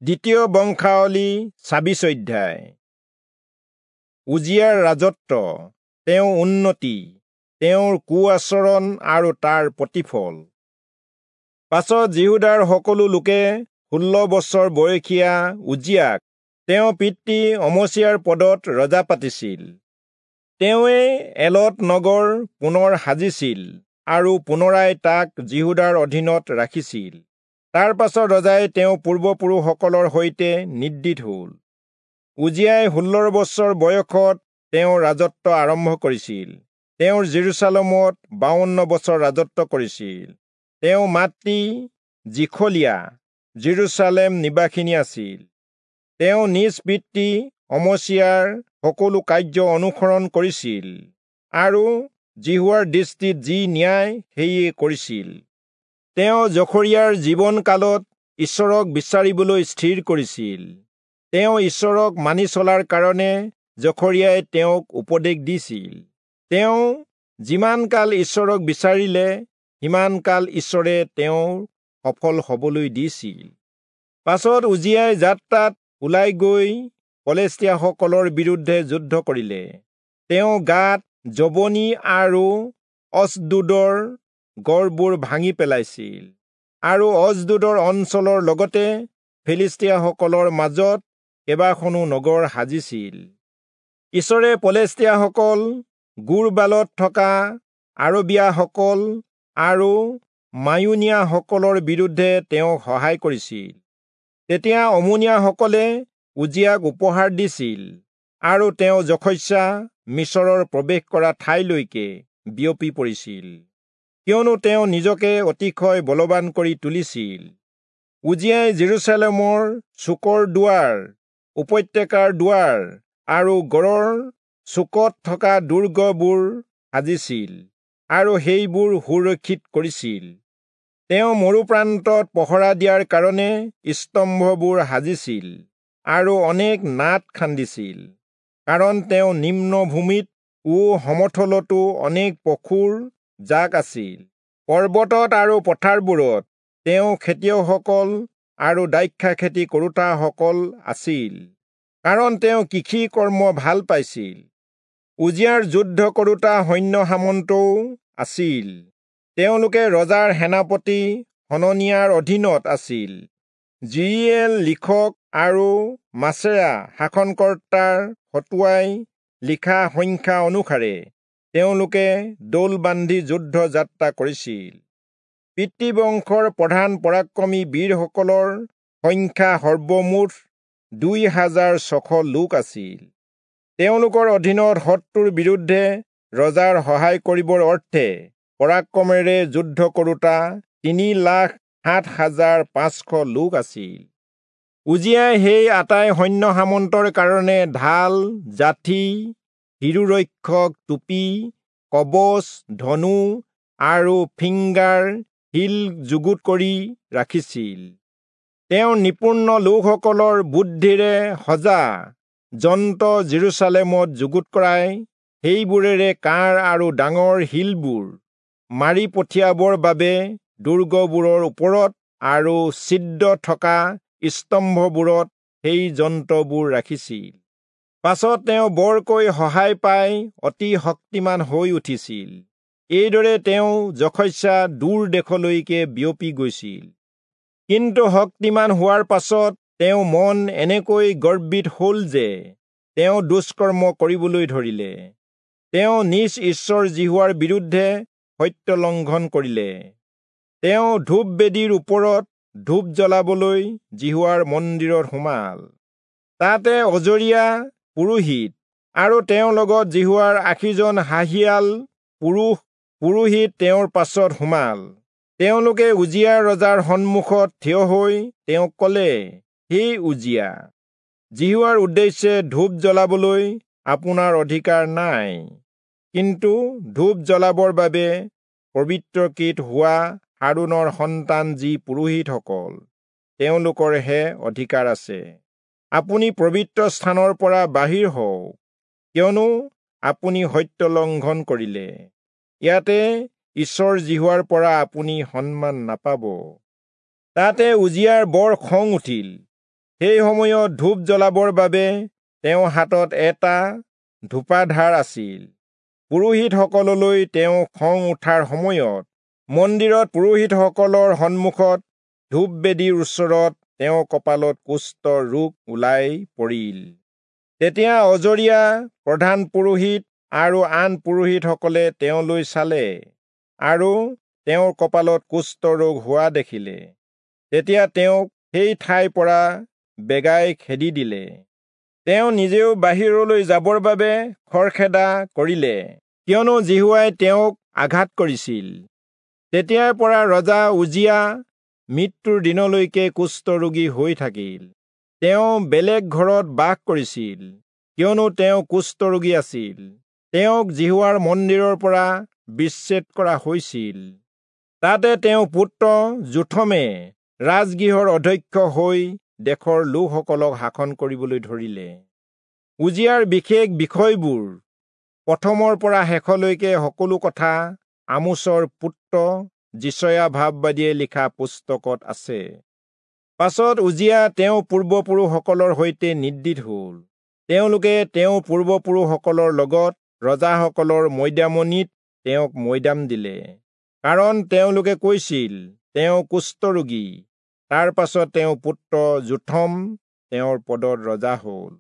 দ্বিতীয় বংশাৱলী 26 অধ্যায়। উজিয়াৰ ৰাজত্ব, তেওঁৰ উন্নতি, তেওঁৰ কুআচৰণ আৰু তাৰ প্ৰতিফল। পাছত যিহূদাৰ সকলো লোকে 16 বছৰ বয়সীয়া উজিয়াক তেওঁ পিতৃ অমচিয়াৰ পদত ৰজা পাতিছিল। তেওঁৱে এলত নগৰ পুনৰ সাজিছিল আৰু পুনৰাই তাক যিহূদাৰ অধীনত ৰাখিছিল। তাৰ পাছত ৰজাই তেওঁ পূৰ্বপুৰুষসকলৰ সৈতে নিদ্ৰিত হ'ল। উজিয়াই 16 বছৰ বয়সত তেওঁ ৰাজত্ব আৰম্ভ কৰিছিল। তেওঁ যিৰূচালেমত 52 বছৰ ৰাজত্ব কৰিছিল। তেওঁ মাতৃ যিখলিয়া যিৰূচালেম নিবাসিনী আছিল। তেওঁ নিজ পিতৃ অমচিয়াৰ সকলো কাৰ্য অনুসৰণ কৰিছিল আৰু যিহোৱাৰ দৃষ্টিত যি ন্যায় সেয়ে কৰিছিল। তেওঁ জখৰিয়াৰ জীৱনকালত ঈশ্বৰক বিচাৰিবলৈ স্থিৰ কৰিছিল। তেওঁ ঈশ্বৰক মানি চলাৰ কাৰণে জখৰিয়াই তেওঁক উপদেশ দিছিল। তেওঁ যিমান কাল ঈশ্বৰক বিচাৰিলে সিমান কাল ঈশ্বৰে তেওঁ সফল হবলৈ দিছিল। পাছত উজিয়াই যাত্ৰাত ওলাই গৈ পলেষ্টীয়াসকলৰ বিৰুদ্ধে যুদ্ধ কৰিলে। তেওঁ গাত, জবনী আৰু অচদোদৰ গড়বোৰ ভাঙি পেলাইছিল আৰু অচদোদৰ অঞ্চলৰ লগতে ফিলিষ্টীয়াসকলৰ মাজত কেইবাখনো নগৰ সাজিছিল। ঈশ্বৰে পলেষ্টীয়াসকল, গুৰবালত থকা আৰবীয়াসকল আৰু মায়ুনীয়াসকলৰ বিৰুদ্ধে তেওঁক সহায় কৰিছিল। তেতিয়া অমোনীয়াসকলে উজিয়াক উপহাৰ দিছিল আৰু তেওঁ যশস্যা মিচৰৰ প্ৰৱেশ কৰা ঠাইলৈকে বিয়পি পৰিছিল, কিয়নো তেওঁ নিজকে অতিশয় বলৱান কৰি তুলিছিল। উজিয়াই যিৰূচালেমৰ চুকৰ দুৱাৰ, উপত্যকাৰ দুৱাৰ আৰু গড়ৰ চুকত থকা দুৰ্গবোৰ সাজিছিল আৰু সেইবোৰ সুৰক্ষিত কৰিছিল। তেওঁ মৰুপ্ৰান্তত পহৰা দিয়াৰ কাৰণে স্তম্ভবোৰ সাজিছিল আৰু অনেক নাদ খান্দিছিল, কাৰণ তেওঁ নিম্নভূমিত ও সমথলতো অনেক পশুৰ জাক আছিল। পৰ্বতত আৰু পথাৰবোৰত তেওঁ খেতিয়কসকল আৰু দ্ৰাক্ষা খেতি কৰোতাসকল আছিল, কাৰণ তেওঁ কৃষি কৰ্ম ভাল পাইছিল। উজিয়াৰ যুদ্ধ কৰোতা সৈন্য সামন্তও আছিল। তেওঁলোকে ৰজাৰ সেনাপতি হননিয়াৰ অধীনত আছিল। যিৰিয়েল লিখক আৰু মাছেয়া শাসনকৰ্তাৰ হতুৱাই লিখা সংখ্যা অনুসাৰে তেওঁলোকে দৌল বান্ধি যুদ্ধ যাত্ৰা কৰিছিল। পিতৃবংশৰ প্ৰধান পৰাক্ৰমী বীৰসকলৰ সংখ্যা সৰ্বমুঠ 2600 লোক আছিল। তেওঁলোকৰ অধীনত শত্ৰুৰ বিৰুদ্ধে ৰজাৰ সহায় কৰিবৰ অৰ্থে পৰাক্ৰমেৰে যুদ্ধ কৰোতা 3,07,500 লোক আছিল। উজিয়াই সেই আটাই সৈন্য সামন্তৰ কাৰণে ঢাল, জাঠি, শিৰোৰক্ষক টুপি, কবচ, ধনু আৰু ফিংগাৰ শিল যুগুত কৰি ৰাখিছিল। তেওঁ নিপুণ লোকসকলৰ বুদ্ধিৰে সজা যন্ত্ৰ যিৰূচালেমত যুগুত কৰাই সেইবোৰেৰে কাঁড় আৰু ডাঙৰ শিলবোৰ মাৰি পঠিয়াবৰ বাবে দুৰ্গবোৰৰ ওপৰত আৰু ছিদ্ৰ থকা স্তম্ভবোৰত সেই যন্ত্ৰবোৰ ৰাখিছিল। পাছত তেওঁ বৰকৈ সহায় পাই অতি শক্তিমান হৈ উঠিছিল। এইদৰে তেওঁ যশস্যা দূৰ দেশলৈকে বিয়পি গৈছিল। কিন্তু শক্তিমান হোৱাৰ পাছত তেওঁ মন এনেকৈ গৰ্বিত হ'ল যে তেওঁ দুষ্কৰ্ম কৰিবলৈ ধৰিলে। তেওঁ নিজ ঈশ্বৰ যিহোৱাৰ বিৰুদ্ধে সত্য লংঘন কৰিলে। তেওঁ ধূপ বেদীৰ ওপৰত ধূপ জ্বলাবলৈ যিহোৱাৰ মন্দিৰত সোমাল। তাতে অজৰীয়া পুৰোহিত আৰু তেওঁৰ লগত যিহোৱাৰ 80জন সাহিয়াল পুৰুষ পুৰোহিত তেওঁৰ পাছত সোমাল। তেওঁলোকে উজিয়া ৰজাৰ সন্মুখত থিয় হৈ তেওঁক ক'লে, হে উজিয়া, যিহোৱাৰ উদ্দেশ্যে ধূপ জ্বলাবলৈ আপোনাৰ অধিকাৰ নাই, কিন্তু ধূপ জ্বলাবৰ বাবে পবিত্ৰকৃত হোৱা হাৰোণৰ সন্তান যি পুৰোহিতসকল, তেওঁলোকৰহে অধিকাৰ আছে। আপুনি পবিত্ৰ স্থানৰ পৰা বাহিৰ হওক, কিয়নো আপুনি সত্য লংঘন কৰিলে। ইয়াতে ঈশ্বৰ যিহোৱাৰ পৰা আপুনি সন্মান নাপাব। তাতে উজিয়াৰ বৰ খং উঠিল। সেই সময়ত ধূপ জ্বলাবৰ বাবে তেওঁৰ হাতত এটা ধূপাধাৰ আছিল। পুৰোহিতসকললৈ তেওঁ খং উঠাৰ সময়ত মন্দিৰত পুৰোহিতসকলৰ সন্মুখত ধূপবেদীৰ ওচৰত তেওঁৰ কপালত কুষ্ঠ ৰোগ ওলাই পৰিল। তেতিয়া অজৰীয়া প্ৰধান পুৰোহিত আৰু আন পুৰোহিতসকলে তেওঁলৈ চালে আৰু তেওঁৰ কপালত কুষ্ঠ ৰোগ হোৱা দেখিলে। তেতিয়া তেওঁক সেই ঠাইৰ পৰা বেগাই খেদি দিলে। তেওঁ নিজেও বাহিৰলৈ যাবৰ বাবে খৰখেদা কৰিলে, কিয়নো যিহোৱাই তেওঁক আঘাত কৰিছিল। তেতিয়াৰ পৰা ৰজা উজিয়া মৃত্যুৰ দিনলৈকে কুষ্ঠৰোগী হৈ থাকিল। তেওঁ বেলেগ ঘৰত বাস কৰিছিল, কিয়নো তেওঁ কুষ্ঠৰোগী আছিল। তেওঁক যিহোৱাৰ মন্দিৰৰ পৰা বিচ্ছেদ কৰা হৈছিল। তাতে তেওঁ পুত্ৰ যোথমে ৰাজগৃহৰ অধ্যক্ষ হৈ দেশৰ লোকসকলক শাসন কৰিবলৈ ধৰিলে। উজিয়াৰ বিশেষ বিষয়বোৰ প্ৰথমৰ পৰা শেষলৈকে সকলো কথা আমোচৰ পুত্ৰ যিচয়া ভাববাদীয়ে লিখা পুস্তকত আছে। পাছত উজিয়া তেওঁ পূৰ্বপুৰুষসকলৰ সৈতে নিদ্ৰিত হ'ল। তেওঁলোকে তেওঁ পূৰ্বপুৰুষসকলৰ লগত ৰজাসকলৰ মৈদামনিত তেওঁক মৈদাম দিলে, কাৰণ তেওঁলোকে কৈছিল, তেওঁ কুষ্ঠৰোগী। তাৰ পাছত তেওঁ পুত্ৰ যোথম তেওঁৰ পদত ৰজা হ'ল।